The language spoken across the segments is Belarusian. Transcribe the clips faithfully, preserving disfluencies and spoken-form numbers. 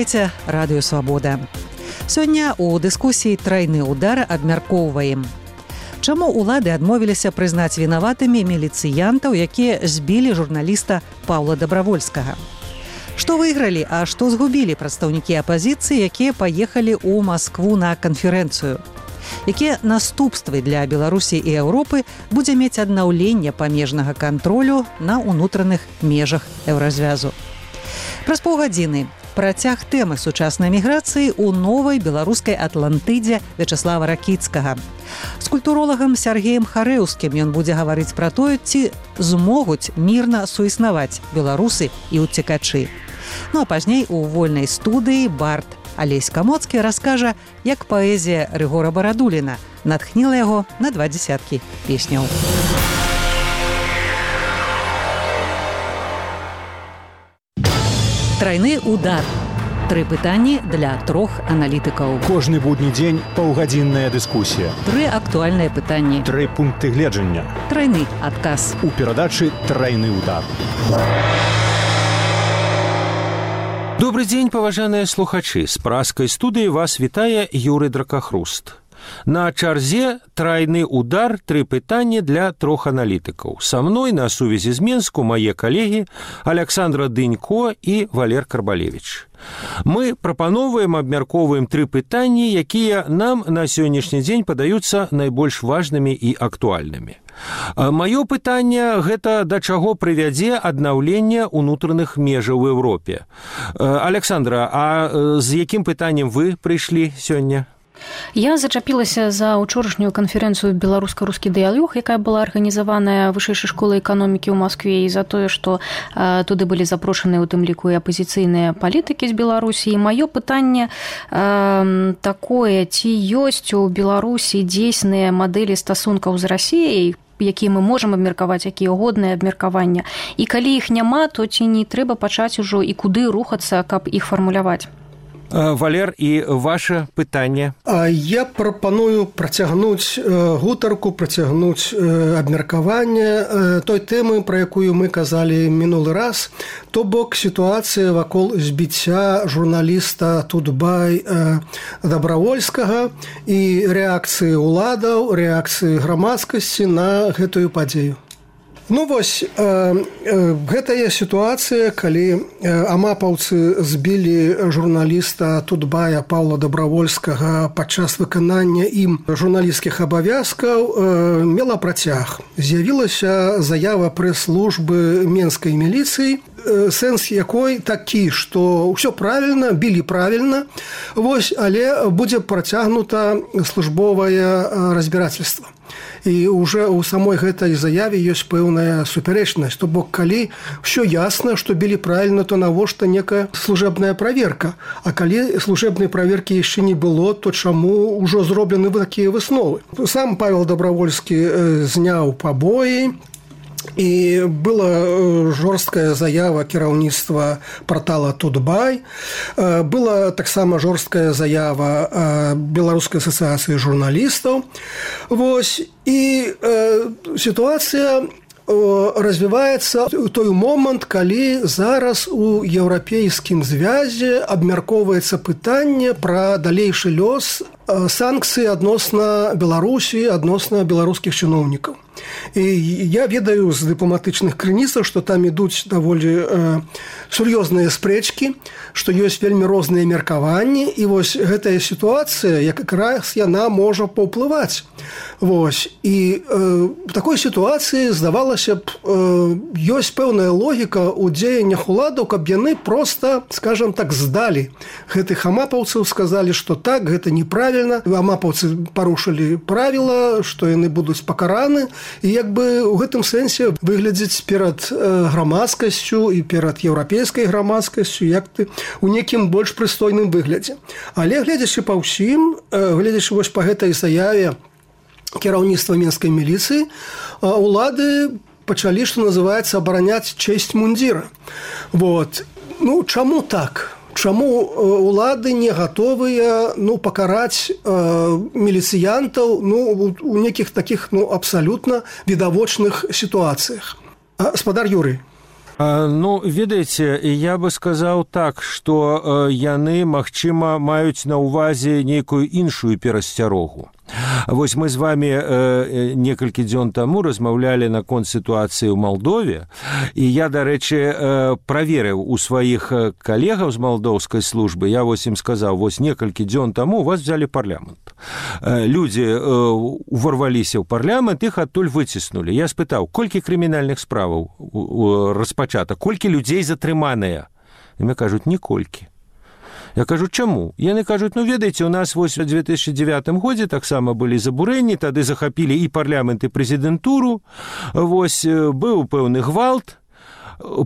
Слухаеце Радыё Свабода. Сёння ў дыскусіі «Трайны удар» абмяркоўваем. Чаму ўлады адмовіліся прызнаць вінаватымі міліцыянтаў, якія збілі журналіста Паўла Дабравольскага? Што выйгралі, а што згубілі прадстаўнікі апазіцыі, якія паехалі ў Маскву на канферэнцыю? Якія наступствы для Беларусі і Еўропы будзе мець аднаўленне памежнага кантролю на ўнутраных межах еўразвязу? Праз паўгадзіны працяг тэмы сучаснай міграцыі ў новай беларускай Атлантыдзе Вячаслава Ракіцкага. З культуролагам Сяргеем Харэўскім ён будзе гаварыць пра тое, ці змогуць мірна суіснаваць беларусы і ўцекачы. Ну а пазней у вольнай студыі бард Алесь Камоцкі раскажа, як паэзія Рыгора Барадуліна натхніла яго на два дзесяткі песняў. Трайны удар. Тры пытанні для трох аналітыкаў. Кожны будні дзень паўгадзінная дыскусія. Тры актуальныя пытанні. Тры пункты гледжання. Трайны адказ. У перадачы «Трайны удар». Добрый дзень, паважаныя слухачы. З праскай студыі вас вітае Юрый Дракахруст. На чарзе «Трайны удар», тры пытанні для трох аналітыкаў. Са мной на сувязі з Менску мае калегі Аляксандра Дынько і Валер Карбалевіч. Мы прапановваем, абмяркоўваем тры пытанні, якія нам на сённяшні дзень падаюцца найбольш важнымі і актуальнымі. Маё пытанне – гэта да чаго прывядзе аднаўленне ўнутраных межаў у Еўропе. Аляксандра, а з якім пытаннем вы прыйшлі сёння? Я зачапілася за учорашнюю канферэнцыю «Беларуска-рускі дыялог», якая была арганізаваная вышэйшай школай эканомікі ў Маскве, і за тое, што э, туды былі запрошаныя ў тым ліку і апазіцыйныя палітыкі з Беларусі. І маё пытанне э, такое, ці ёсць у Беларусі дзейсныя мадэлі стасункаў з Расіяй, якія мы можам абмеркаваць, якія годныя абмеркавання. І калі іх няма, то ці не трэба пачаць ужо і куды рухацца, каб іх фармуляваць? Валер, і ваше пытанне? Я прапаную працягнуць гутарку, працягнуць абмеркаванне той тэмы, пра якую мы казалі мінулы раз, то бок сітуацыя вакол збіцця журналіста Тутбай Дабравольскага і рэакцыі ўладаў, рэакцыі грамадскасці на гэтую падзею. Ну вось, э, э, гэтая сітуацыя, калі э, амапаўцы збілі журналіста Тутбая Паўла Дабравольскага падчас выканання ім журналісцкіх абавязкаў, э, мела працяг. З'явілася заява прэс-службы менскай міліцыі, э, сэнс якой такі, што ўсё правільна, білі правільна, вось, але будзе працягнута службовае разбірательства. І ўжо ў самой гэтай заяве ёсць пэўная супярэчнасць. То бок, калі ўсё ясна, што білі правільна, то навошта некая служэбная праверка. А калі служэбнай праверкі яшчэ не было, то чаму ўжо зроблены такія высновы? Сам Павел Дабравольскі зняў пабоі, і была жорсткая заява кіраўніцтва партала «Тутбай», была таксама жорсткая заява Беларускай асацыяцыі журналістаў. Вось, і э, сітуацыя развіваецца ў той момант, калі зараз у еўрапейскім звязе абмяркоўваецца пытанне пра далейшы лёс санкцый адносна Беларусі, адносна беларускіх чыноўнікаў. І я ведаю з дыпламатычных крыніцаў, што там ідуць даволі э, сур'ёзныя спрэчкі, што ёсць вельмі розныя меркаванні, і вось гэтая сітуацыя, якраз яна можа паўплываць. Вось. І э, в такой сітуацыі, здавалася б, э, ёсць пэўная логіка ў дзеяннях уладаў, каб яны проста, скажам так, здалі гэтых амапаўцаў, сказалі, што так, гэта неправільна, амапаўцы парушылі правіла, што яны будуць пакараны, і як бы ў гэтым сэнсе выглядзець перад грамадскасцю і перад еўрапейскай грамадскасцю як ты у некім больш прыстойным выглядзе. Але гледзячы па ўсім, гледзячы вось па гэтай заяве кіраўніцтва менскай міліцыі, улады пачалі, што называецца, абараняць чэсць мундзіра. Вот. Ну, чаму так? Чаму улады не гатовыя, ну, пакараць э, міліцыянтаў, ну, у некіх такіх, ну, абсалютна відавочных сітуацыях? А, спадар Юрый. Ну, ведаеце, я бы сказаў так, што яны, магчыма, маюць на ўвазе нейкую іншую перасцярогу. Вось мы з вами э, некалькі дзён таму размаўлялі наконт сітуацыі ў Малдове, і я, дарэчы, э, праверыў у сваіх калегаў з малдоўскай службы, я вось ім сказаў, вось некалькі дзён таму у вас взялі парламент. Э, людзі э, уварваліся ў парламент, іх адтуль выціснулі. Я спытаў, колькі крымінальных справаў распачата, колькі людзей затрыманыя? І мне кажуць, ніколькі. Я кажу, чаму? Яны кажуць, ну, ведаеце, у нас вось у две тысячи девятым годзе таксама былі забурэнні, тады захапілі і парламент, і прэзідэнтуру, вось быў пэўны гвалт,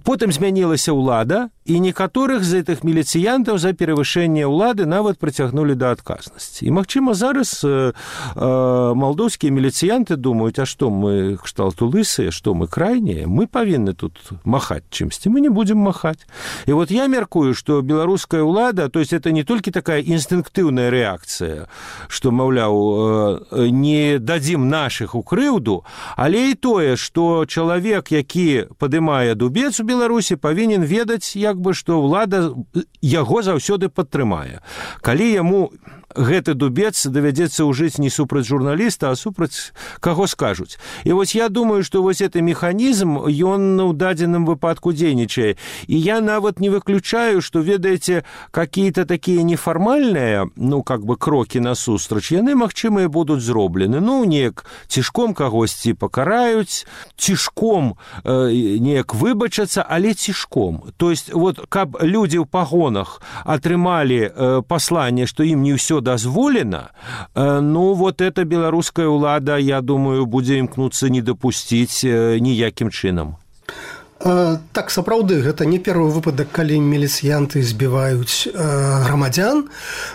потым змянілася ўлада, і некаторых з гэтых міліцыянтаў за перавышэнне ўлады нават прыцягнулі да адказнасці. І, магчыма, зараз э, э, малдоўскія міліцыянты думаюць, а што мы кшталту лысыя, што мы крайнія, мы павінны тут махаць чымсьці, мы не будзем махаць. І вот я мяркую, што беларуская ўлада, то есть это не толькі такая інстынктыўная рэакцыя, што, маўляў, э, не дадзім нашых у крыўду, але і тое, што чалавек, які падымае дубец у Беларусі, павінен ведаць, як бы, што ўлада яго заўсёды падтрымае. Калі яму гэты дубец давядзецца ўжыць не супраць журналіста, а супраць каго скажуць. І вось я думаю, што вось гэты механізм, ён ў дадзеным выпадку дзейнічае. І я нават не выключаю, што, ведаеце, какие-то такія нефармальныя, ну, как бы, крокі насустрач, яны, магчыма, і будуць зроблены. Ну, неяк цішком кагосьці пакараюць, цішком э, неяк выбачацца, але цішком. То есть, вот, каб людзі ў пагонах атрымалі э, пасланне, што ім не ўсё дазволена, ну, вот эта беларуская ўлада, я думаю, будзе імкнуцца не дапусціць ніякім чынам. Так, сапраўды, гэта не першы выпадак, калі міліцыянты збіваюць грамадзян.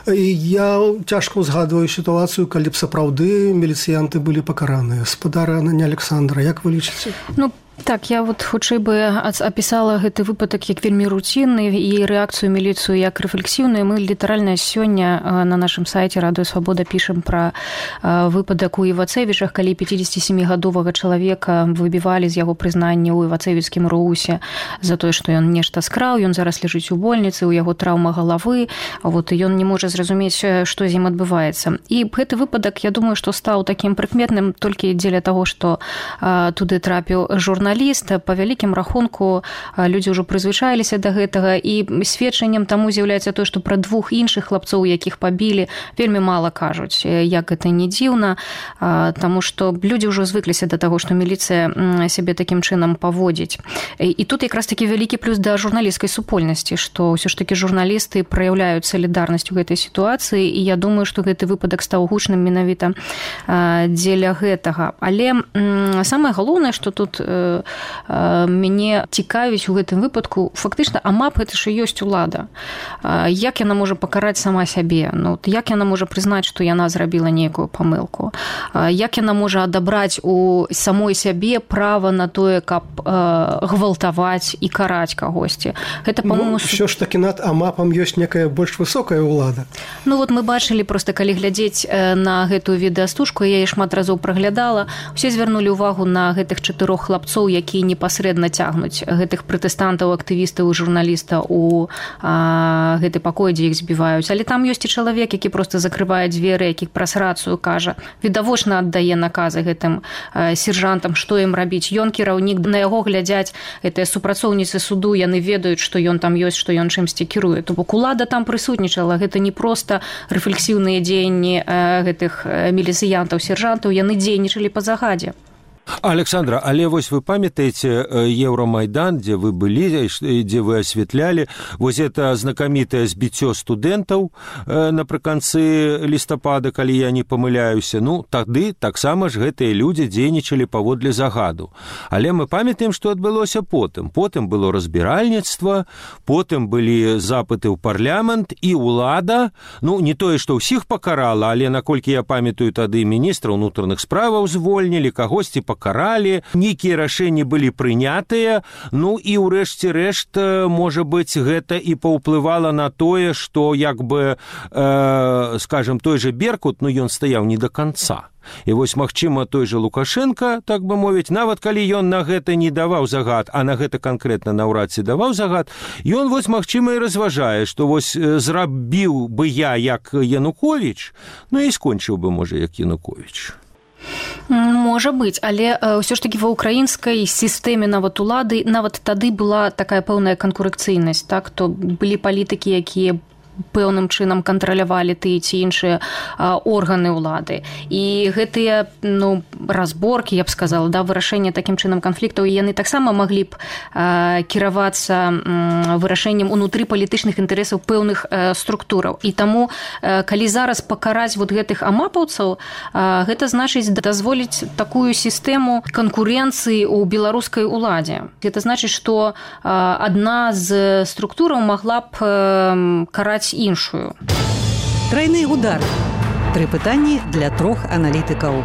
Я цяжка ўзгадваю сітуацыю, калі б сапраўды міліцыянты былі пакараныя. Спадар Александра, як вы лічыце? Ну, так, я вот хутчэй бы апісала гэты выпадак як вельмі руцінны і рэакцыю міліцыю як рэфлексіўную. Мы літаральна сёння на нашым сайце Радыё Свабода пішам пра выпадак у Івацэвічах, калі пяцідзесяцісямігадовага чалавека выбівалі з яго прызнання ў івацэвіцкім РУУсе за тое, што ён нешта скраў, ён зараз ляжыць у больніцы, у яго траўма галавы, вот, і ён не можа зразумець, што з ім адбываецца. І гэты выпадак, я думаю, што стаў такім прыкметным толькі дзеля таго, што туды трапіў журналіст. Па вялікім рахунку людзі ўжо прызвычаіліся да гэтага, і сведчаннем таму з'яўляецца тое, што пра двух іншых хлапцоў, якіх пабілі, вельмі мала кажуць, як гэта не дзіўна, таму што людзі ўжо звыкліся да таго, што міліцыя сябе такім чынам паводзіць. І тут якраз такі вялікі плюс да журналісцкай супольнасці, што ўсё ж такі журналісты праяўляюць салідарнасць у гэтай сітуацыі, і я думаю, што гэты выпадак стаў гучным менавіта дзеля гэтага. Але самае галоўнае, што тут мяне цікавіць у гэтым выпадку, фактычна, амап гэта ж і ёсць улада. Як яна можа пакараць сама сябе? Ну, як яна можа прызнаць, што яна зрабіла нейкую памылку? Як яна можа адабраць у самой сябе права на тое, каб гвалтаваць і караць кагосьці? Гэта, па-моему... Ну, ўсё ж такі над амапам ёсць некая больш высокая ўлада. Ну, вот мы бачылі, проста калі глядзець на гэтую відэастужку, я яе шмат разоў праглядала, усе звярнулі ўвагу на гэтых чатырох хлапцоў, якія непасрэдна цягнуць гэтых пратэстантаў, актывістаў і журналістаў у а, гэты пакой, дзе іх збіваюць. Але там ёсць і чалавек, які проста закрывае дзверы, які праз рацыю кажа, відавочна аддае наказы гэтым а, сержантам, што ім рабіць. Ён кіраўнік, на яго глядзяць гэтыя супрацоўніцы суду, яны ведаюць, што ён там ёсць, што ён чымсьці кіруе. То бок улада там прысутнічала, гэта не проста рэфлексіўныя дзеянні а, гэтых міліцыянтаў, сержантаў, яны дзейнічалі па загадзе. Александра, але вось вы памятаеце Еўрамайдан, дзе вы былі, дзе вы асвятлялі, вось это знакамітае збіццё студэнтаў напрыканцы лістапада, калі я не памыляюся. Ну, тады таксама ж гэтыя людзі дзейнічалі паводле загаду. Але мы памятаем, што адбылося потым. Потым было разбіральніцтва, потым былі запыты ў парламент, і ўлада, ну, не тое, што ўсіх пакарала, але, наколькі я памятаю, тады міністра ўнутраных справаў звольнілі, кагосьці пакаралі, пакаралі, нейкія рашэнні былі прынятыя, ну і ўрэшце рэшт, можа быць, гэта і паўплывала на тое, што як бы, э, скажем, той же Беркут, ну ён стаяў не до конца. І вось, магчыма, той же Лукашенко, так бы мовіць, нават калі ён на гэта не даваў загад, а на гэта канкрэтна наўрад ці даваў загад, ён, вось, магчыма, і разважае, што вось зрабіў бы я як Януковіч, ну і скончыў бы, можа, як Януковіч. Можа быць, але ўсё ж такі ва ўкраінскай сістэме нават улады нават тады была такая пэўная канкурэнцыйнасць, так, то былі палітыкі, якія пэўным чынам кантралявалі тыя ці іншыя органы ўлады. І гэтыя, ну, разборкі, я б сказала, да, вырашэнне такім чынам канфліктаў, яны таксама маглі б кіравацца вырашэннем унутры палітычных інтарэсаў пэўных структураў. І таму, калі зараз пакараць вот гэтых амапаўцаў, гэта значыць дазволіць такую сістэму канкурэнцыі ў беларускай уладзе. Гэта значыць, што адна з структураў магла б караць іншую. Трайны удар. Тры пытанні для трох аналітыкаў.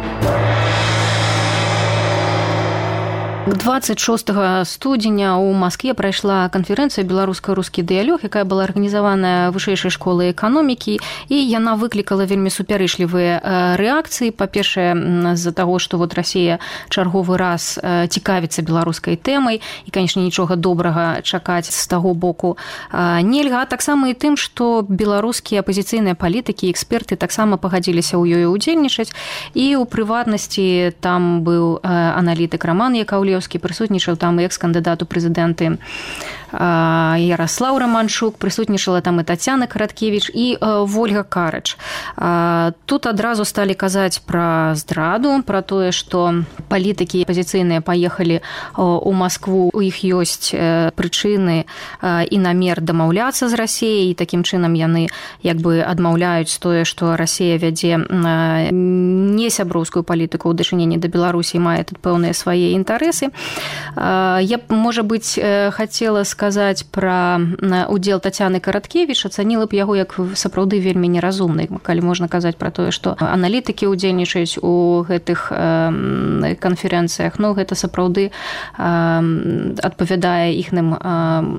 дваццаць шостага студзеня ў Маскве прайшла канферэнцыя «Беларуска-рускі дыялог», якая была арганізаваная вышэйшай школай эканомікі, і яна выклікала вельмі супярэчлівыя рэакцыі. Па-першае, з-за таго, што вот Расія чарговы раз цікавіцца беларускай тэмай, і, канешне, нічога добрага чакаць з таго боку нельга, а таксама і тым, што беларускія апазіцыйныя палітыкі і эксперты таксама пагадзіліся ў ёй удзельнічаць, і ў прыватнасці там быў аналітык Роман Яковлев, прысутнічаў там і экс-кандыдат у прэзідэнты Ярослаў Романчук, прысутнічала там і Тацяна Караткевіч і Вольга Карыч. Тут адразу сталі казаць пра здраду, пра тое, што палітыкі апазіцыйныя паехалі ў Маскву, у іх ёсць прычыны і намер дамаўляцца з Расіяй, і такім чынам яны як бы адмаўляюць тое, што Расія вядзе не сяброўскую палітыку ў дачыненні да Беларусі, мае тут пэўныя свае інтарэсы. Я б, можа быць, хацела сказаць пра удзел Тацяны Караткевіч, ацаніла б яго як сапраўды вельмі неразумны, калі можна казаць пра тое, што аналітыкі ўдзельнічаюць у гэтых канферэнцыях. Ну, гэта сапраўды адпавядае іхным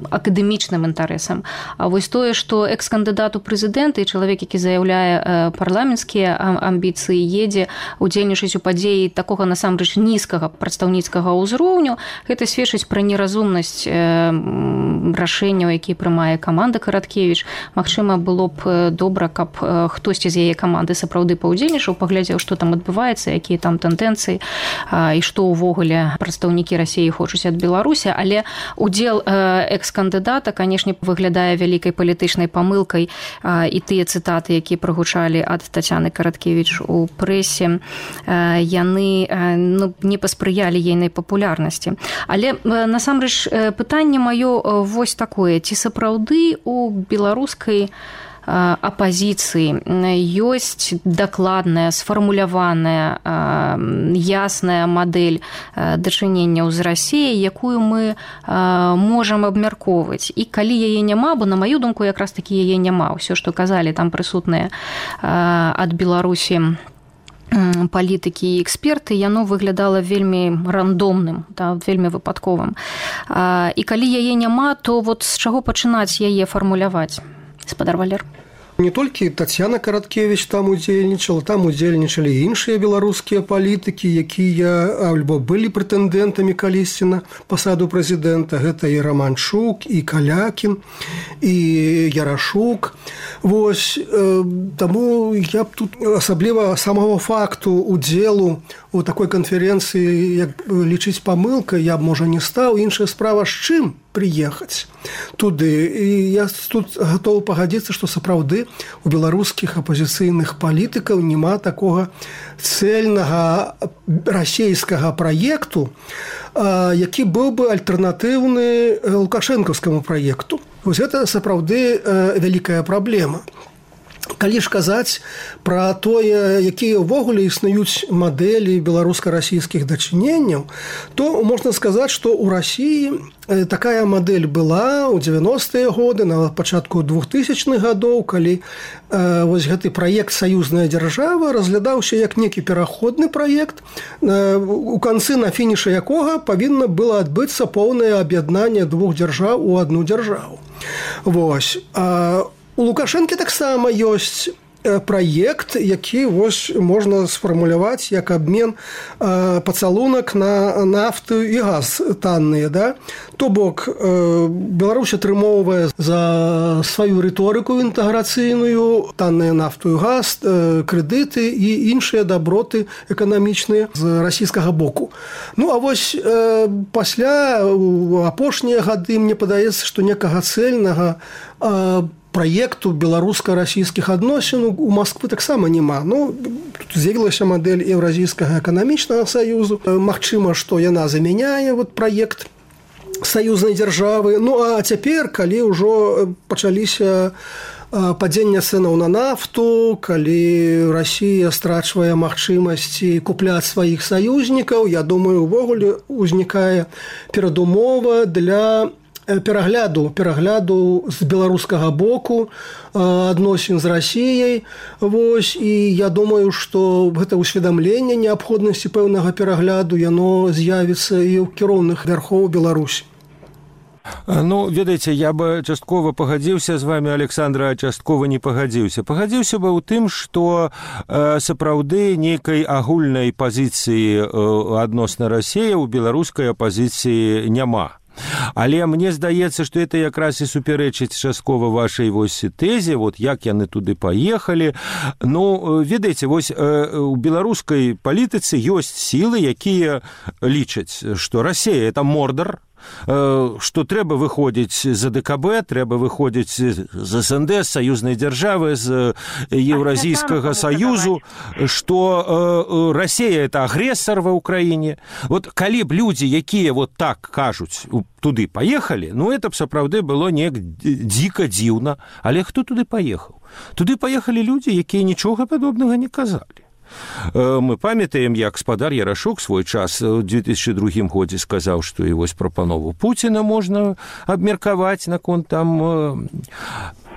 акадэмічным інтарэсам. А вось тое, што экс-кандыдат у прэзідэнты і чалавек, які заяўляе парламенцкія амбіцыі, едзе удзельнічаць у падзеі такога насамрэч нізкага прадстаўніцкага ўзроўню, гэта сведчыць пра неразумнасць рашэнняў, якія прымае каманда Караткевіч. Магчыма, было б добра, каб хтосьці з яе каманды сапраўды паўдзельнічаў, паглядзеў, што там адбываецца, якія там тэндэнцыі і што ўвогуле прадстаўнікі Расіі хочуць ад Беларусі. Але удзел экс-кандыдата, канешне, выглядае вялікай палітычнай памылкай, і тыя цытаты, якія прагучалі ад Тацяны Караткевіч у прэсе, яны, ну, не паспрыялі ейнай папулярнасці. Але насамрэч пытанне маё вось такое: ці сапраўды у беларускай апазіцыі ёсць дакладная, сфармуляваная, ясная мадэль дачыненняў з Расіяй, якую мы можам абмяркоўваць. І калі яе няма, бо на маю думку якраз такі яе няма. Усё, што казалі там прысутныя ад Беларусі палітыкі і эксперты, яно выглядала вельмі рандомным, да, вельмі выпадковым. І калі яе няма, то вот з чаго пачынаць яе фармуляваць? Спадар Валер. Не толькі Тацяна Караткевіч там удзельнічала, там удзельнічалі іншыя беларускія палітыкі, якія альбо былі прэтэндэнтамі калісьці на пасаду прэзідэнта. Гэта і Романчук, і Калякін, і Ярашук. Вось, э, таму я б тут асабліва самого факту удзелу у такой канферэнцыі, як лічыць памылкай, я б, можа, не стаў. Іншая справа, з чым прыехаць туды. І я тут гатовы пагадзіцца, што сапраўды у беларускіх апазіцыйных палітыкаў няма такога цэльнага расійскага праекту, які быў бы альтэрнатыўны лукашэнкаўскаму праекту. Вось гэта сапраўды вялікая праблема. Калі ж казаць пра тое, якія ўвогуле існуюць мадэлі беларуска-расійскіх дачыненняў, то можна сказаць, што ў Расіі такая мадэль была ў дзевяностыя годы, на пачатку двухтысячных гадоў, калі э, вось гэты праект «Саюзная дзяржава» разглядаўся як некі пераходны праект, э, у канцы на фінішы якога павінна было адбыцца поўнае аб'яднанне двух дзяржаў у адну дзяржаву. Вось. А у Лукашэнкі таксама ёсць праект, які вось можна сфармуляваць як абмен э, пацалунак на нафту і газ танныя. Да? То бок э, Беларусь атрымоўвае за сваю рыторыку інтэграцыйную танныя нафту і газ, э, крэдыты і іншыя даброты эканамічныя з расійскага боку. Ну а вось э, пасля апошнія гады мне падаецца, што некага цэльнага э, праекту беларуска-расійскіх адносін у Масквы таксама няма. Ну, тут з'явілася мадэль Еўразійскага эканамічнага саюзу. Магчыма, што яна замяняе вот праект саюзнай дзяржавы. Ну, а цяпер, калі ўжо пачаліся падзення цэнаў на нафту, калі Расія страчвае магчымасці купляць сваіх саюзнікаў, я думаю, увогуле узнікае перадумова для перагляду перагляду з беларускага боку адносін з Расіяй. Вось, і я думаю, што гэта ўсведамленне неабходнасці пэўнага перагляду яно з'явіцца і ў кіроўных вярхоў Беларусі. Ну, ведаеце, я бы часткова пагадзіўся з вами, Александра, а часткова не пагадзіўся. Пагадзіўся бы ў тым, што э, сапраўды нейкай агульнай пазіцыі э, адносна Расіі ў беларускай апазіцыі няма. Але мне здаецца, што это якраз і супярэчыць часткова вашай вось тэзе, вот як яны туды паехалі. Ну, ведаеце, вось у беларускай палітыцы ёсць сілы, якія лічаць, што Расія – это Мордар, што трэба выходзіць з АДКБ, трэба выходзіць з СНД, з саюзнай дзяржавы, з Еўразійскага саюзу, што Расія – это агрэсар ва ўкраіне. Вот калі б людзі, якія вот так кажуць, туды паехалі, ну это б сапраўды было неяк дзіка дзіўна. Але хто туды паехаў? Туды паехалі людзі, якія нічога падобнага не казалі. Мы памятаем, як спадар Ярашук свой час у две тысячи другім годзе сказаў, што і вось прапанову Пуціна можна абмеркаваць наконт там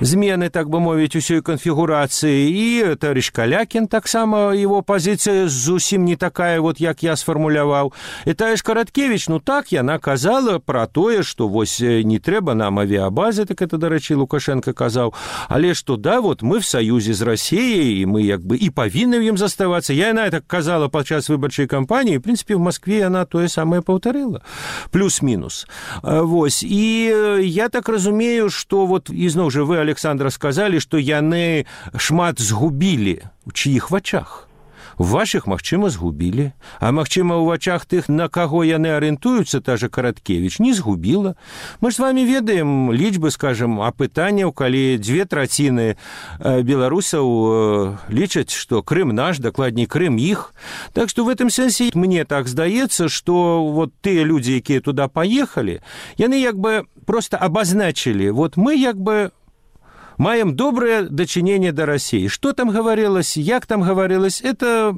змены, так бы мовіць, усёй канфігурацыі. І товарищ Калякін таксама, его пазіцыя зусім не такая, вот як я сфармуляваў. І товарищ Караткевич, ну так, яна казала пра тое, што вось не трэба нам авіабазы, так это, дарэчы, Лукашенко казаў, але што да, вот мы в саюзе з Расіяй, і мы як бы і павінны ў ім заставацца. Я яна так казала падчас выбарчай кампаніі, в прынцыпе, в Маскве яна тое самае паўтарыла. Плюс-мінус. Вось. І я так разумею, што вот, ізноў жа вы, Александра, сказалі, што яны шмат згубілі. У чыіх вачах? У вашых, магчыма, згубілі. А магчыма, у вачах тых, на каго яны арыентуюцца, та же Караткевич, не згубіла. Мы ж з вами ведаем лічбы, скажем, апытанняў, калі дзве траціны беларусаў лічаць, што Крым наш, дакладней, Крым іх. Так што в этом сэнсе мне так здаецца, што вот тыя людзі, якія туда паехалі, яны як бы просто абазначылі, вот мы як бы маем доброе дачыненне да Расіі. Што там гаварылася, як там гаварылася, это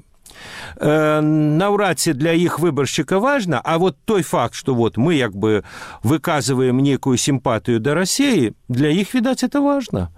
э, наўрад ці для іх выбаршчыка важна, а вот той факт, што вот мы як бы выказываем некую сімпатыю да Расіі, для іх, відаць, это важна.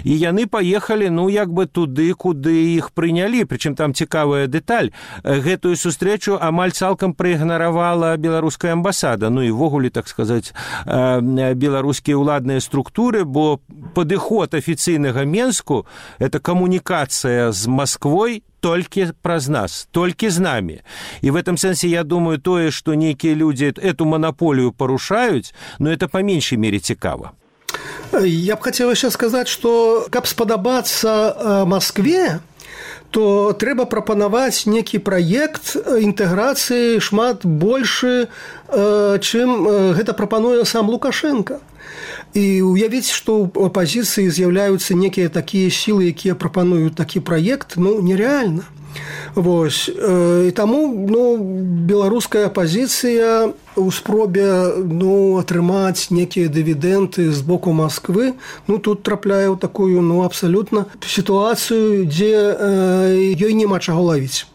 І яны паехалі, ну, як бы туды, куды іх прынялі. Прычым там цікавая дэталь. Гэтую сустрэчу амаль цалкам праігнаравала беларуская амбасада. Ну, і ввогуле, так сказаць, беларускія ўладныя структуры, бо падыход афіцыйнага Менску – это камунікацыя з Масквой толькі праз нас, толькі з намі. І в этом сэнсе, я думаю, тое, што нейкія людзі эту манаполію парушаюць, но это па меншай мере цікава. Я б хацела яшчэ сказаць, што каб спадабацца Маскве, то трэба прапанаваць некі праект інтэграцыі шмат большы, чым гэта прапануе сам Лукашенко. І уявіць, што ў апазіцыі з'яўляюцца некія такія сілы, якія прапануюць такі праект, ну, нереальна. Вось. І таму, ну, беларуская апазіцыя у спробе, ну, атрымаць некія дывідэнты з боку Масквы, ну, тут трапляе ў такую, ну, абсалютна сітуацыю, дзе э, ёй няма чаго лавіць.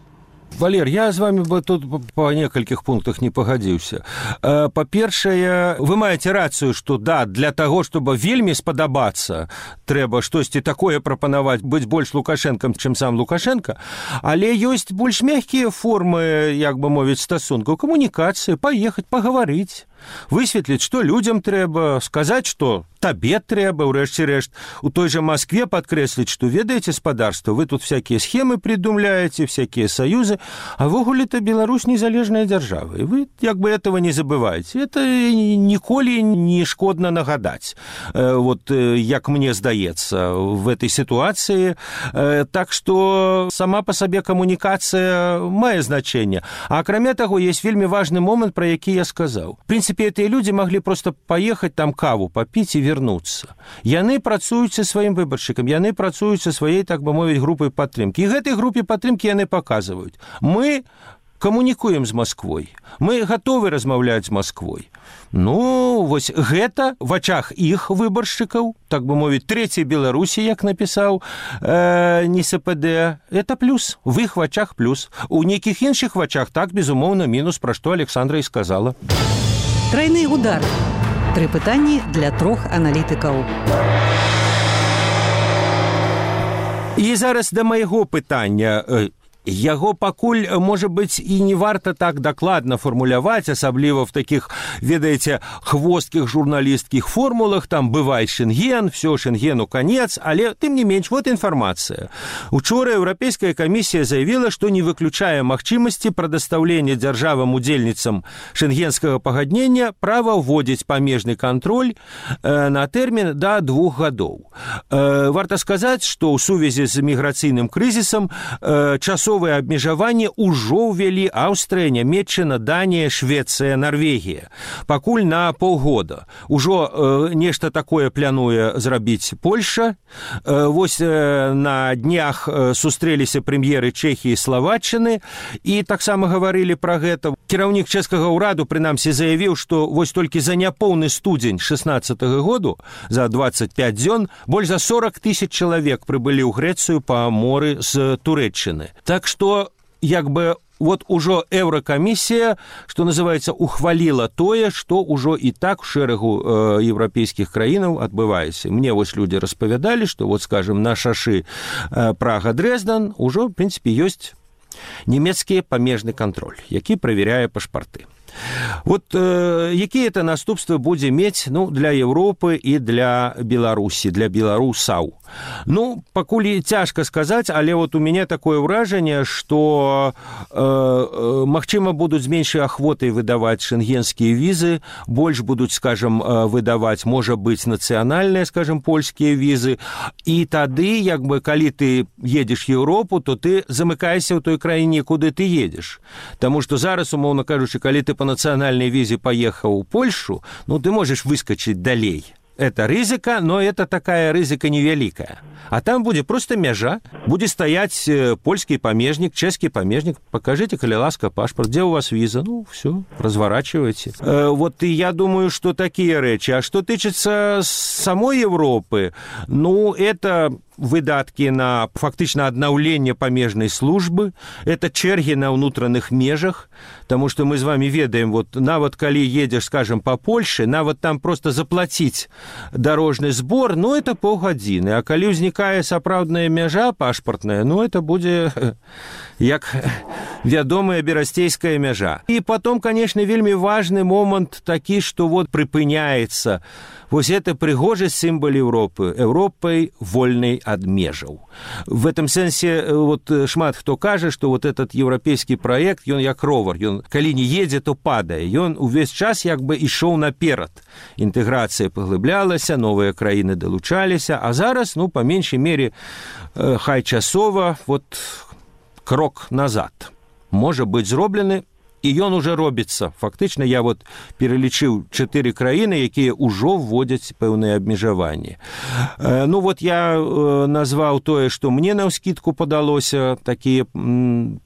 Валер, я з вами бы тут по некалькіх пунктах не пагадзіўся. Па-першае, вы маеце рацыю, што да, для таго, чтобы вельмі спадабацца, трэба штосьці такое прапанаваць, быць больш Лукашэнкам, чым сам Лукашенко, але ёсць больш мяккія формы, як бы мовіць, стасункаў, камунікацыі, паехаць, пагаварыць, высветліць, што людзям трэба, сказаць, што табе трэба, ўрэшце рэшт, у той жа Москве падкрэсліць, што ведаеце, спадарства, вы тут всякія схемы придумляеце, всякія саюзы, а вогуле-то Беларусь незалежная дзяржава, і вы як бы этого не забываеце. Это ніколі не шкодна нагадаць, вот як мне здаецца в этой ситуации. Так что сама по сабе камунікацыя мае значэнне. А акрамя таго, есть вельмі важны момент, про які я сказаў. В принципе, гэтыя люди могли просто поехать там каву попить и вернуться. Яны працуюць са сваім выбаршчыкам, яны працуюць са сваёй, так бы мовіць, групай падтрымкі. І гэтай групе падтрымкі яны паказваюць. Мы камунікуем з Москвой, мы гатовы размаўляць з Москвой. Ну, вось гэта в ачах іх выбаршчыкаў, так бы мовіць, трэцяй Беларусі, як напісаў э, НСПД, это плюс, в іх вачах плюс. У нейкіх іншых вачах так, безумоўна, мінус, пра што Александра і сказала. Трайны удар. Тры пытанні для трох аналітыкаў. І зараз да майго пытання. Яго пакуль, можа быць, і не варта так дакладна фармуляваць, асабліва в такіх, ведаеце, хвосткіх журналісткіх формулах, там бывай Шенген, все, Шенгену конец, але, тым не менш, вот информация. Учора Еўрапейская камісія заявила, што не выключае магчымасці прадастаўлення дзяржавам-удзельніцам шенгенскага пагаднення права ўводзіць памежны кантроль э, на тэрмін да двух гадоў. Э, варта сказаць, што ў сувязі з міграцыйным крызісам э, часова абмежаванне ўжо ўвялі Аўстрыя, Нямецчына, Данія, Швецыя, Нарвегія. Пакуль на паўгода. Ужо э, нешта такое плануе зрабіць Польша. Э, вось э, на днях э, сустрэліся прэм'еры Чэхіі і Славаччыны і таксама гаварылі пра гэта. Кіраўнік чэшскага ўраду прынамсі заявіў, што вось толькі за няпоўны студзень шэснаццатага году, за двадцать пять дзён, больш за сорок тысяч чалавек прыбылі ў Грэцыю па моры з Турэччыны. Так что, як бы, вот ужо Еўракамісія, што называецца, ухваліла тое, што ўжо і так у шэрагу э, еўрапейскіх краінаў адбываецца. Мне вось людзі распавядалі, што, вот, скажем, на шашы э, Прага-Дрэздан ужо, в прынцыпе, ёсць нямецкі памежны кантроль, які правяряе пашпарты. Вот э, якія это наступствы будзе мець, ну, для Европы і для Беларусі, для беларусаў. Ну, пакуль цяжка сказаць, але вот у мяне такое ўражанне, што э, э, магчыма будуць з меншай ахвотай выдаваць шенгенскія візы, больш будуць, скажем, выдаваць, можа быць, нацыянальныя, скажем, польскія візы, і тады, як бы, калі ты едзеш в Еўропу, то ты замыкаешся ў той краіне, куды ты едзеш. Таму што зараз, умоўна кажучы, калі ты по национальной визе поехал в Польшу, ну, ты можешь выскочить далей. Это рызыка, но это такая рызыка невеликая. А там будет просто мяжа, будет стоять польский памежник, чешский памежник. Покажите, коли ласка, паспорт, где у вас виза? Ну, все, разворачивайте. Э, вот и я думаю, что такие речи. А что тычется самой Европы, ну, это выдатки на фактично аднаўленне памежнай службы, это чэргі на ўнутраных межах, потому что мы с вами ведаем, вот нават калі едешь, скажем, по Польше, нават там просто заплатить дорожный сбор, ну, это паўгадзіны, а калі ўзнікае сапраўдная мяжа пашпартная, ну, это будзе як вядомая берасцейская мяжа. И потом, конечно, вельмі важный момент такі, что вот прыпыняется вось это прыгожы сімвал Европы, Европой вольной от межаў. В этом сэнсе вот шмат хто кажа, что вот этот европейский проект, ён як ровар, ён калі не едзе, то падае. Ён увесь час як бы ішоў наперад. Інтэграцыя паглыблялася, новыя краіны далучаліся, а зараз, ну, па меншай мере, хай часова, вот крок назад можа быць зроблены, і ён уже робіцца. Фактычна я вот пералічыў чатыры краіны, якія ўжо вводзяць пэўныя абмежаванні. Ну вот я назваў тое, што мне наўскідку падалося, такія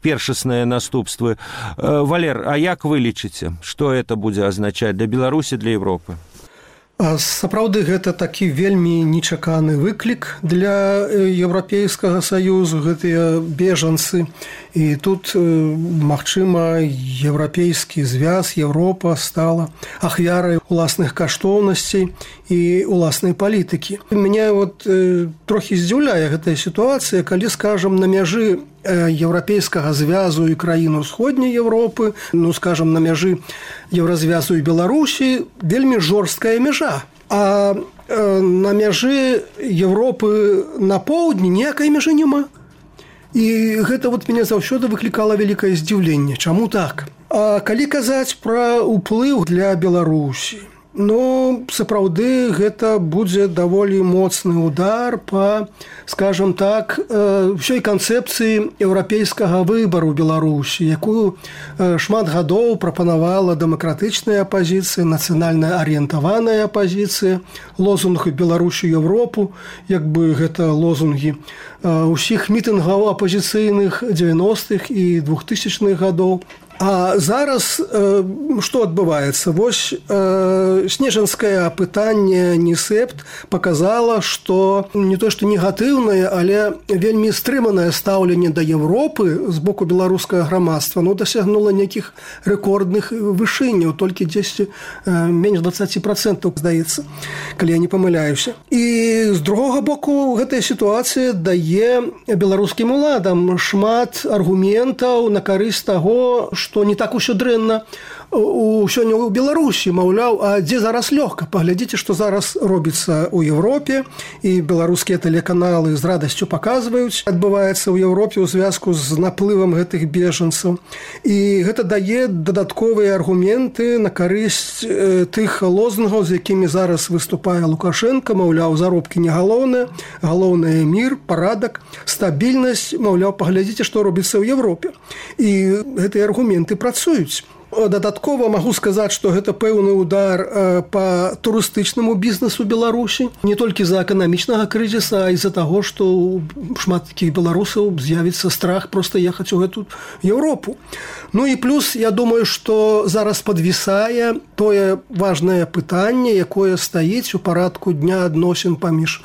першасныя наступствы. Валер, а як вы лічыце, што это будзе азначаць для Беларусі, для Европы? Сапраўды, гэта такі вельмі нечаканы выклік для Еўрапейскага саюзу, гэтыя бежанцы. І тут, магчыма, еўрапейскі звяз, Еўропа стала ахвярай уласных каштоўнасцей і уласнай палітыкі. Мяне вот трохі здзіўляе гэтая сітуацыя, калі, скажам, на мяжы еўрапейскага звязу і краін усходняй Еўропы, ну, скажам, на мяжы еўразвязу і Беларусі вельмі жорсткая мяжа. А на мяжы Еўропы на поўдні ніякай мяжы няма. І гэта вот мяне заўсёды выклікала вялікае здзіўленне. Чаму так? А калі казаць пра ўплыў для Беларусі, ну, сапраўды, гэта будзе даволі моцны удар па, скажам так, ўсёй канцэпцыі еўрапейскага выбару Беларусі, якую шмат гадоў прапанавала дэмакратычная апазіцыя, нацыянальна арыентаваная апазіцыя, лозунг «Беларусі Еўропу», як бы гэта лозунгі ўсіх мітынгаў апазіцыйных дзевяностых і двухтысячных гадоў. А зараз э, што адбываецца? Вось э, снежанскае апытанне НІСЭПТ паказала, што не то што негатыўнае, але вельмі стрыманае стаўленне да Еўропы з боку беларускага грамадства, ну, дасягнула нейкіх рэкордных вышынняў, толькі дзесьці э, менш дваццаць працэнтаў, здаецца, калі я не памыляюся. І з другога боку, гэтая сітуацыя дае беларускім уладам шмат аргументаў на карысць таго, што не так усё дрэнна у сёння ў Беларусі, маўляў, а дзе зараз лёгка? Паглядзіце, што зараз робіцца ў Еўропе, і беларускія тэлеканалы з радасцю паказваюць, адбываецца ў Еўропе ў звязку з наплывам гэтых бежанцаў. І гэта дае дадатковыя аргументы на карысць тых лозунгаў, з якімі зараз выступае Лукашенко, маўляў, заробкі не галоўнае, галоўнае мір, парадак, стабільнасць, маўляў, паглядзіце, што робіцца ў Еўропе. І гэтыя аргументы працуюць. Дадаткова магу сказаць, што гэта пэўны удар па турыстычнаму бізнесу Беларусі, не толькі з-за эканамічнага крызіса, а і з-за таго, што шмат такіх беларусаў з'явіцца страх проста ехаць у гэту Еўропу. Ну і плюс, я думаю, што зараз падвісае тое важнае пытанне, якое стаіць у парадку дня адносін паміж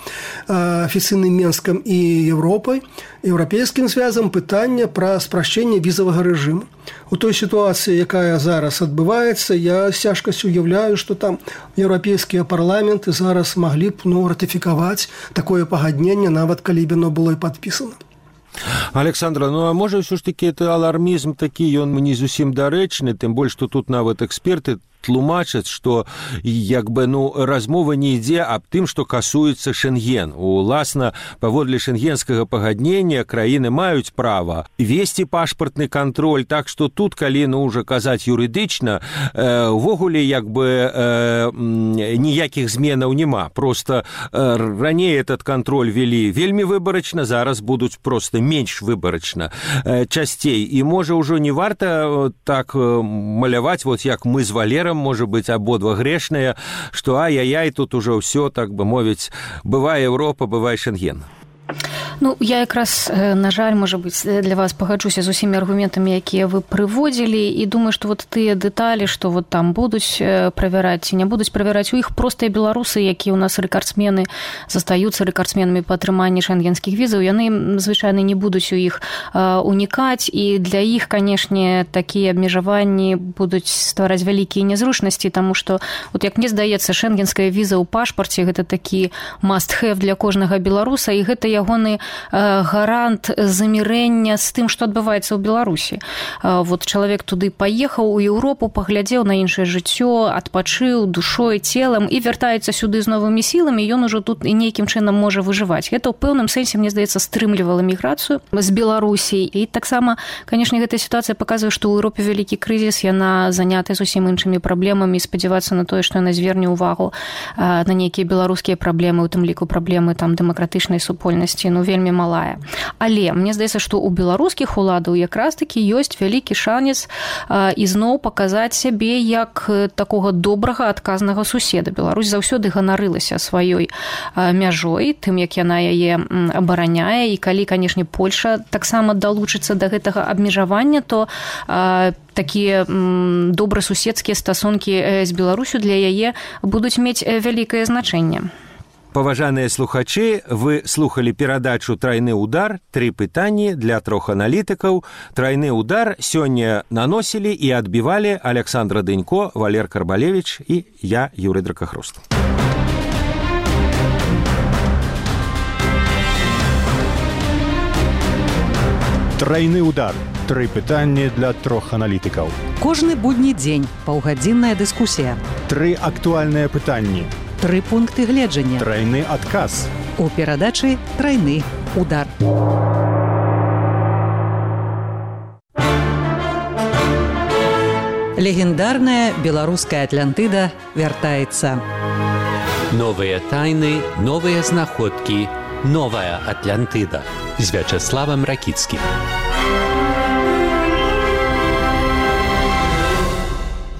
афіцыйным Менскам і Еўропай, еўрапейскім звязам, пытанне пра спрашчэнне візавага рэжыму. У той сітуацыі, якая зараз адбываецца, я з цяжкасцю уяўляю, што там еўрапейскія парламенты зараз маглі б, ну, ратыфікаваць такое пагадненне, нават калі б яно было і падпісана. Александра, ну а можа ўсё ж такі это алармізм такі, ён не зусім дарэчны, тым больш, што тут нават эксперты тлумачаць, што як бы, ну, размова не ідзе аб тым, што касуецца Шенген. Уласна, паводле шенгенскага пагаднення краіны маюць права весці пашпартны кантроль, так што тут, калі, ну, уже казаць юрыдычна, увогуле, як бы э, ніякіх зменаў няма. Просто э, раней этот кантроль вели вельмі выбарачна, зараз будуць просто менш выбарачна э, часцей. І можа ўжо не варта так маляваць, вот як мы з Валером, может быть, абодва грешныя, што ай-яй-яй, тут уже ўсё, так бы мовіць, бывае Еўропа, бывае Шенген. Ну, я якраз, на жаль, можа быць, для вас пагаджуся з усімі аргументамі, якія вы прыводзілі, і думаю, што вот тыя дэталі, што вот там будуць правяраць ці не будуць правяраць, у іх простыя беларусы, якія ў нас рэкардсмены, застаюцца рэкардсменамі па атрыманні шенгенскіх візаў, яны звычайна не будуць у іх унікаць, і для іх, канешне, такія абмежаванні будуць ствараць вялікія нязручнасці, таму што, вот як мне здаецца, шенгенская віза ў пашпарце гэта такі must-have для кожнага беларуса, і гэта ягоны гарант замірэння з тым, што адбываецца ў Беларусі. Вот чалавек туды паехаў у Еўропу, паглядзеў на іншае жыццё, адпачыў душой, целам і вяртаецца сюды з новымі сіламі, ён ужо тут і нейкім чынам можа выжываць. Гэта ў пэўным сэнсе, мне здаецца, стрымлівала міграцыю з Беларусі. І таксама, канешне, гэтая сітуацыя паказвае, што ў Еўропе вялікі крызіс, яна занята зусім іншымі праблемамі, спадзявацца на тое, што яна зверне ўвагу на нейкія беларускія праблемы, у тым ліку праблемы там дэмакратычнай супольнасці разнастайнасці ну вельмі малая. Але мне здаецца, што ў беларускіх уладаў якраз такі ёсць вялікі шанец ізноў паказаць сябе як такога добрага адказнага суседа. Беларусь заўсёды ганарылася сваёй мяжой, тым як яна яе абараняе, і калі, канешне, Польша таксама далучыцца да гэтага абмежавання, то такія добрасуседскія стасункі з Беларусю для яе будуць мець вялікае значэнне. Паважаныя слухачы, вы слухали перадачу «Трайны удар». Тры пытанні для трох аналітыкаў. «Трайны удар» сёння наносілі і адбівалі Александра Дынько, Валер Карбалевич і я, Юрый Дракахруст. Трайны удар. Тры пытанні для трох аналітыкаў. Кожны будні дзень паўгадзінная дыскусія. Тры актуальныя пытанні. Тры пункты гледжання. Трайны адказ. У перадачы «Трайны удар». Легендарная беларуская Атлантыда вяртаецца. Новыя тайны, новыя знаходкі, новая Атлантыда з Вячаславам Ракіцкім.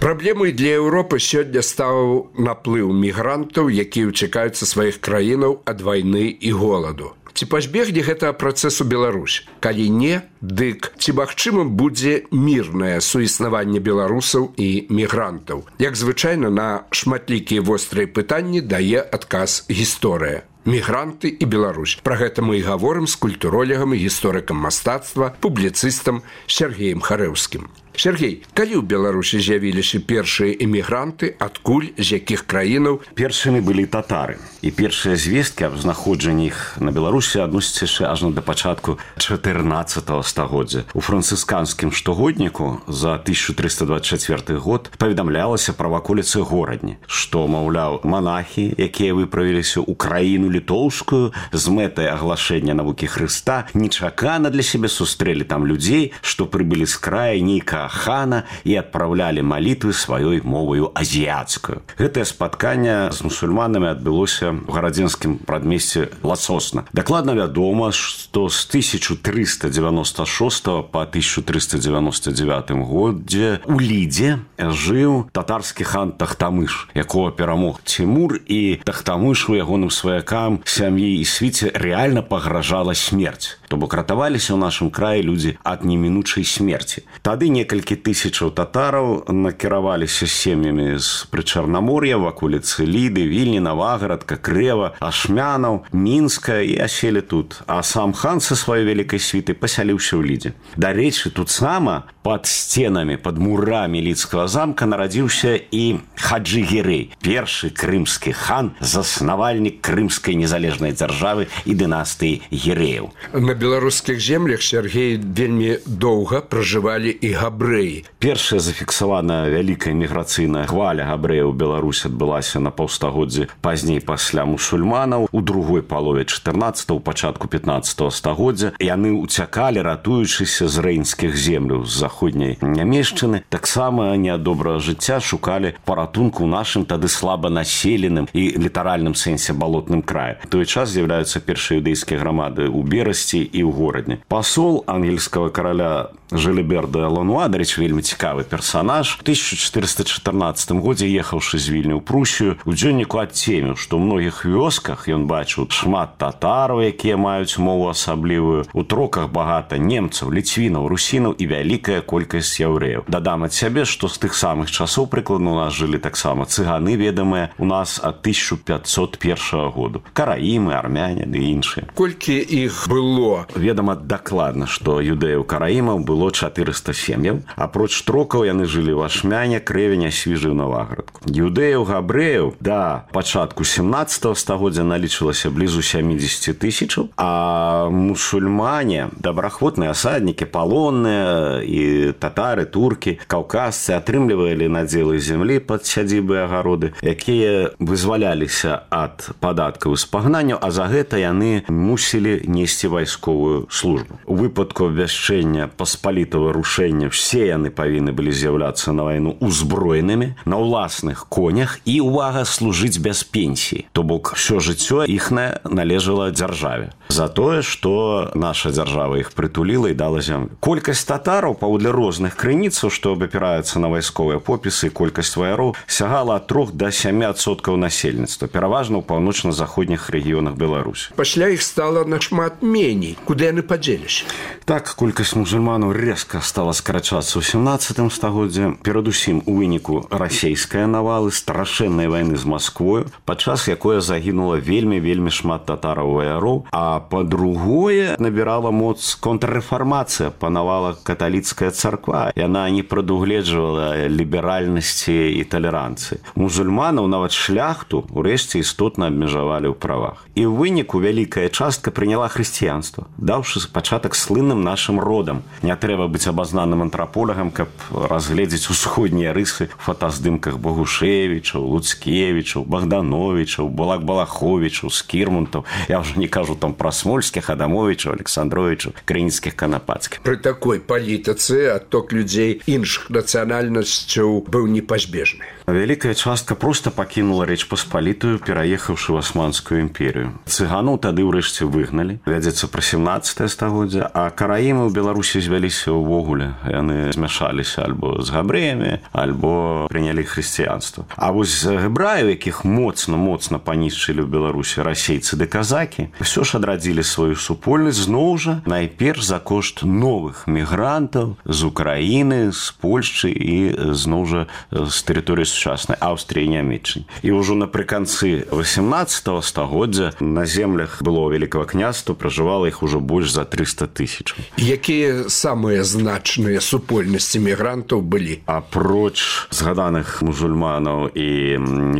Праблемай для Еўропы сёння стаў наплыў мігрантаў, якія ўцякаюць са сваіх краінаў ад вайны і голаду. Ці пазбегне гэтага працэсу Беларусь? Калі не, дык ці магчымым будзе мірнае суіснаванне беларусаў і мігрантаў? Як звычайна, на шматлікія вострыя пытанні дае адказ гісторыя. Мігранты і Беларусь. Пра гэта мы і гаворым з культуролегам і гісторыкам мастацтва, публіцыстам Сергеем Харэўскім. Сергей, калі ў Беларусі з'явіліся першыя эмігранты, адкуль, з якіх краінаў? Першымі былі татары. І першыя звесткі аб знаходжанні іх на Беларусі адносяцца яшчэ ажно да пачатку чатырнаццатага стагоддзя. У францысканскім штогодніку за тысяча трыста дваццаць чацвёрты год паведамлялася пра ваколіцы горадні, што, маўляў, манахі, якія выправіліся ў краіну літоўскую з мэтай аглашэння навукі Хрыста, нечакана для сябе сустрэлі там людзей, што прыбылі з края нейкага хана і адпраўлялі малітвы сваёй моваю азіяцкую. Гэтае спатканне з мусульманамі адбылося ў гарадзенскім прадмесці Ласосна. Дакладна вядома, што з тысяча трыста дзевяноста шостага па тысяча трыста дзевяноста дзевятым годзе у Лідзе жыў татарскі хан Тахтамыш, якога перамог Цімур, і Тахтамышу, ягоным сваякам, сям'і і свіце рэальна пагражала смерць. То бок ратаваліся ў нашым краі людзі ад немінучай смерці. Тады некалькі тысячаў татараў накіраваліся сем'ямі з Прычарнамор'я, ваколіцы Ліды, Вільні, Навагарадка, Крэва, Ашмянаў, Мінска і аселі тут. А сам хан са сваёй вялікай світай пасяліўся ў Лідзе. Дарэчы, тут сама пад сценамі, пад мурамі Лідскага замка нарадзіўся і Хаджы Гірэй, першы крымскі хан, заснавальнік крымскай незалежнай дзяржавы і дынастыі Гірэяў. На беларускіх землях, Сергей, вельмі доўга пражывалі і габрэі. Першая зафіксаваная вялікая міграцыйная хваля габрэяў у Беларусі адбылася на паўстагоддзі пазней пасля мусульманаў. У другой палове чатырнаццатага, у пачатку пятнаццатага стагоддзя яны ўцякалі, ратуючыся з рэйнскіх земляў, з заходняй нямешчыны. Таксама не ад добрага жыцця шукалі паратунку ў нашым тады слаба населеным і літаральным сэнсе балотным краі. У той час з'яўляюцца першыя юдэйскія грамады ў Берасці і ў горадні. Пасол ангельскага караля Жылібер де Лануа, дарэчы, вельмі цікавы персанаж, у тысяча чатырыста чатырнаццатым годзе, ехаўшы з Вільні ў Прусію, у дзённіку адцеміў, што ў многіх вёсках ён бачыў шмат татараў, якія маюць мову асаблівую, у троках багата немцаў, ліцвінаў, русінаў і вялікая колькасць яўрэяў. Дадам ад сябе, што з тых самых часоў прыкладна у нас жылі таксама цыганы, ведамыя у нас ад тысяча пятьсот першага году. Караімы, армяне ды іншыя. Колькі іх было? Ведама дакладна, што юдэяў-караімаў было чатырыста сем'яў. Апроч трокаў яны жылі ў Ашмяне, Крэвені, Свіжы і Навагарадку. Юдэяў, габрэяў да пачатку сямнаццатага стагоддзя налічылася блізу сямдзесят тысячаў, а мусульмане, добраахвотныя асаднікі, палонныя і татары, туркі, каўказцы атрымлівалі надзелы зямлі пад сядзібы і агароды, якія вызваляліся ад падаткаў і спагнанняў, а за гэта яны мусілі несці вайсковую вайсковую службу. У выпадку абвяшчэння паспалітага рушэння все яны павінны былі з'яўляцца на вайну узброенымі, на ўласных конях і, увага, служыць без пенсіі. То бок, все жыццё іхнае належала дзяржаве. За тое, што наша дзяржава іх прытуліла і дала зямлю. Колькасць татараў, паводле розных крыніцаў, што абапіраюцца на вайсковыя попісы, і колькасць ваяроў сягала ад трох да сямі адсоткаў насельніцтва, пераважна ў паўночна-заходніх рэгіёнах Беларусі. Пасля іх стала нашмат меней. Куды яны падзеліся? Так, колькасць мусульманаў резка стала скарачацца ў сямнаццатым стагоддзі, перадусім у выніку расейскай навалы, страшэннай вайны з Масквою, падчас якой загінула вельмі-вельмі шмат татараў-ваяроў, а па-другое, набірала моц контррэфармацыя, панавала каталіцкая царква. Яна не прадугледжвала ліберальнасці і талеранцыі. Мусульманаў, нават шляхту, урэшце істотна абмежавалі ў правах. І ў выніку вялікая частка прыняла хрысціянства, даўшы пачатак слынным нашым родам. Не трэба быць абазнаным антраполягам, каб разгледзець усходнія рысы ў фотаздымках Богушевічаў, Луцкевічаў, Богдановічаў, Балак-Балаховічаў, Скірмунтаў. Я ўжо не кажу там пра Смольскіх, Адамовічаў, Александровічаў, Крыніцкіх, Канапацкіх. Пры такой палітыцы адток людзей іншых нацыянальнасцяў быў непазбежны. Вялікая частка проста пакінула Рэч Паспалітую, пераехаўшы ў Асманскую імперію. Цыганаў тады ўрэшце выгналі. Вядзецца пра сямнаццатае стагоддзе, а караімы ў Беларусі звяліся ўвогуле. Яны змяшаліся альбо з габрэямі, альбо прынялі хрысціянства. А вось гебраев, якіх моцна-моцна панішчылі ў Беларусі расейцы ды казакі, ўсё ж адрадзілі сваю супольнасць зноў жа найперш за кошт новых мігрантаў з Украіны, з Польшчы і зноў жа з тэрыторыі сучаснай Аўстрыі і Нямецчыны. І ўжо напрыканцы васямнаццатага стагоддзя на землях былого Вялікага княства пражывала іх ужо больш за трыста тысяч. Якія самыя значныя супольнасці мігрантаў былі? Апроч згаданых мусульманаў і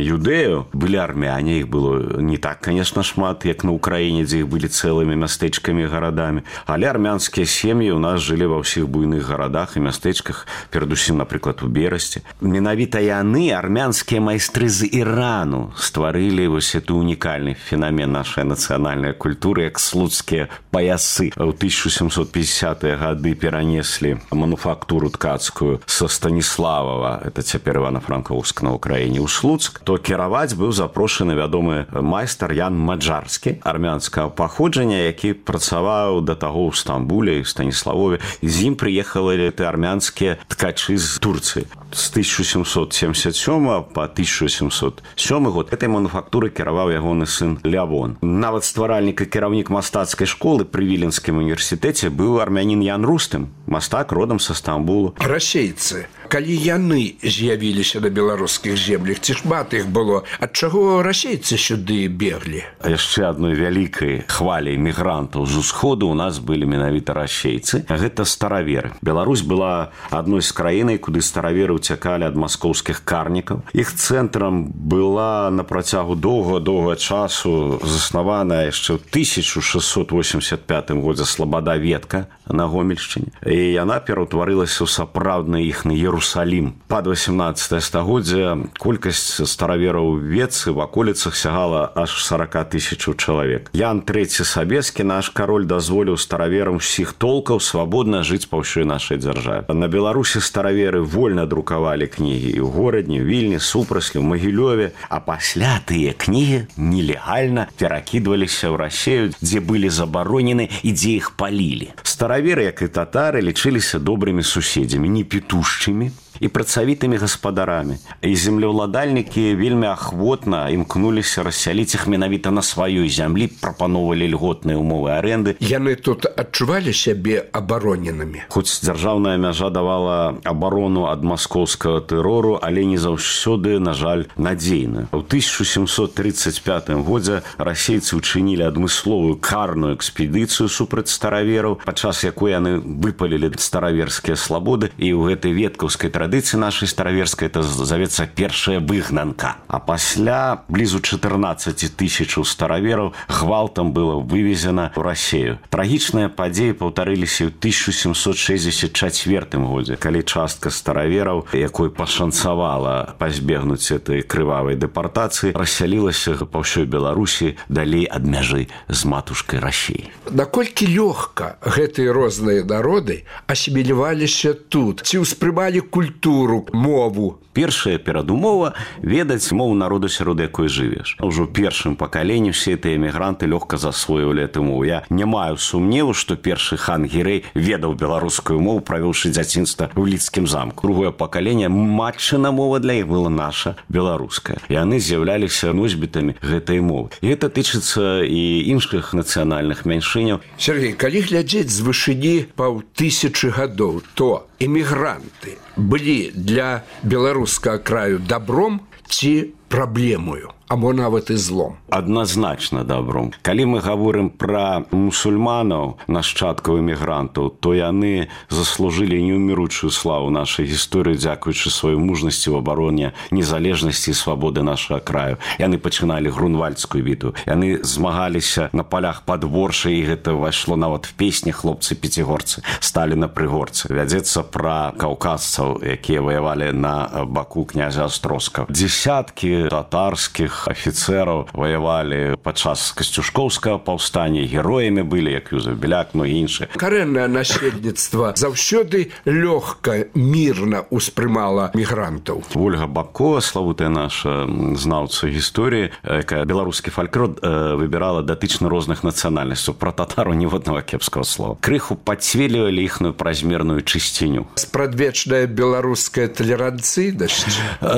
юдэяў былі армяне, іх было не так, конечно, шмат, як на Украіне, дзе іх былі цэлымі мястэчкамі і гарадамі, але армянскія сем'і ў нас жылі ва ўсіх буйных гарадах і мястэчках, перадусім, напрыклад, у Берасці. Менавіта яны, армянскія майстры з Ірану, стварылі вось эту унікальны фенамен нашай нацыянальнай культуры, як слуцкія паясы. У тысяча сямсот пятидесятые гады перанеслі мануфактуру ткацкую са Станіславава, это цяпер Івана-Франкоўск на Украіне, ў Слуцк, то кіраваць быў запрошаны вядомы майстар Ян Маджарскі, армянскага паходжання, які працаваў да таго ў Стамбуле і Станіславове. З ім прыехалі армянскія ткачы з Турцыі. З тысяча сямсот семьдесят сёмага па тысяча сямьсот сёмы год этой мануфактуры кіраваў ягоны сын Лявон. Нават стваральнік і кіраўнік мастацкай школы пры Віленскім універсітэце быў армянін Ян Рустым, мастак родам са Стамбулу. Расейцы, калі яны з'явіліся на беларускіх землях, ці шмат іх было, ад чаго расейцы сюды беглі? Яшчэ адной вялікай хваляй мігрантаў з усходу у нас былі менавіта расейцы. Гэта стараверы. Беларусь была адной з краінай, куды стараверы уцякалі ад маскоўскіх карнікаў. Іх цэнтрам была на працягу доўга-доўга часу заснаваная яшчэ ў тысяча шэсцьсот восемьдесят пятым годзе Слабада Ветка на Гомельшчыне. І яна пераўтварылася ў сапраўдны іхны Иерусалим. Пад васямнаццатае стагоддзе колькасць старавераў Ветцы в аколіцах сягала аж сорок тысяч чалавек. Ян трэці Сабескі, наш кароль, дазволіў стараверам усіх толкаў свабодна жыць па ўсёй нашай дзяржаве. На Беларусі стараверы вольна друкавалі кнігі і ў горадні, Вільні, Супраслі, ў Магілёве, а пасля тыя кнігі нелегальна перакідваліся ў Расею, дзе былі забаронены і дзе іх палілі. Стараверы, як і татары, лічыліся добрымі суседзямі, не петушчымі і працавітымі гаспадарамі. І землеўладальнікі вельмі ахвотна імкнуліся рассяліць іх менавіта на сваёй зямлі, прапаноўвалі льготныя ўмовы арэнды. Яны тут адчувалі сябе абароненымі. Хоць дзяржаўная мяжа давала абарону ад маскоўскага тэрору, але не заўсёды, на жаль, надзейную. У тысяча сямьсот тридцать пятым годзе расейцы ўчынілі адмысловую карную экспедыцыю супраць старавераў, падчас якой яны выпалілі стараверскія слабоды, і ў гэтай веткаўскай традыцыі традыцыі нашай стараверскай это завецца першая выгнанка. А пасля блізу чатырнаццаць тысячаў старавераў гвалтам было вывезена ў Расею. Трагічныя падзеі паўтарыліся ў тысяча сямсот шэсцьдзесят чацвёртым годзе, калі частка старавераў, якой пашанцавала пазбегнуць этой крывавай дэпартацыі, рассялілася па ўсёй Беларусі далей ад мяжы з матушкай Расеі. Наколькі лёгка гэтыя розныя народы асіміляваліся тут? Ці ўспрымалі культуру, мову? Першая перадумова ведаць мову народу, сярод якой жывеш. Ужо ў першым пакаленні ўсе гэтыя эмігранты лёгка засвоівалі эту мову. Я не маю сумневу, што першы хан Гірэй ведаў беларускую мову, правёўшы дзяцінства ў Лідскім замку. Другое пакаленне, матчына мова для іх была наша беларуская. Яны з'яўляліся носьбітамі гэтай мовы. І гэта тычыцца і іншых нацыянальных меншыняў. Сергей, калі глядзець з вышыні паўтысячы гадоў, то эмігранты былі для беларускага краю добром ці праблемою, або нават і злом? Адназначна добром. Калі мы гаворым пра мусульманаў, нашчадкаў эмігрантаў, то яны заслужылі неўміручую славу нашай гісторыі, дзякуючы сваёй мужнасці в абароне незалежнасці і свабоды нашага краю. Яны пачыналі грунвальдскую бітву. Яны змагаліся на палях пад Воршай, і гэта ўвайшло нават в песні хлопцы-пяцігорцы сталі на прыгорцы. Вядзецца пра каўказцаў, якія ваявалі на баку князя Астроскага. Дзесяткі татарскіх афіцэраў ваявалі падчас касцюшкоўскага паўстання, героямі былі, як Юзеф Беляк, ну і іншыя. Карэннае насельніцтва заўсёды лёгка, мірна ўспрымала мігрантаў. Ольга Бабкова, славутая наша знаўца гісторыі, якая беларускі фальклор выбірала датычна розных нацыянальнасцяў. Пра татару ні одного кепскага слова. Крыху падцвелівалі іхную празмерную чысціню. Спрадвечная беларуская талеранцыйнасць?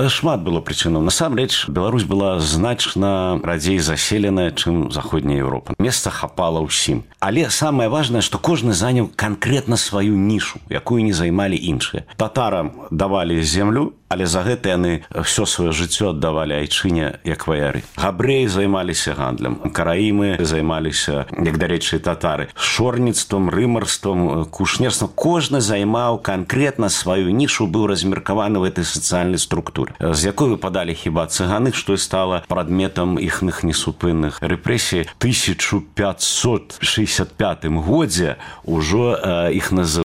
Шмат было прычынаў. Насамрэч, Беларусь была значна радзей заселеная, чым заходняя Еўропа. Месца хапала ўсім. Але самае важнае, што кожны заняў канкрэтна сваю нішу, якую не займалі іншыя. Татарам давалі землю, але за гэта яны ўсё сваё жыццё аддавалі айчыне як ваяры. Габрэі займаліся гандлем, караімы займаліся, як, дарэчы, татары, шорніцтвам, рымарствам, кушнерствам. Кожны займаў канкрэтна сваю нішу, быў размеркаваны в этой сацыяльнай структуры, з якой выпадалі хіба цыганы, што і стала прадметам іхных несупынных рэпрэсій. тысяча пятьсот шестьдесят пятым годзе ўжо іх называлі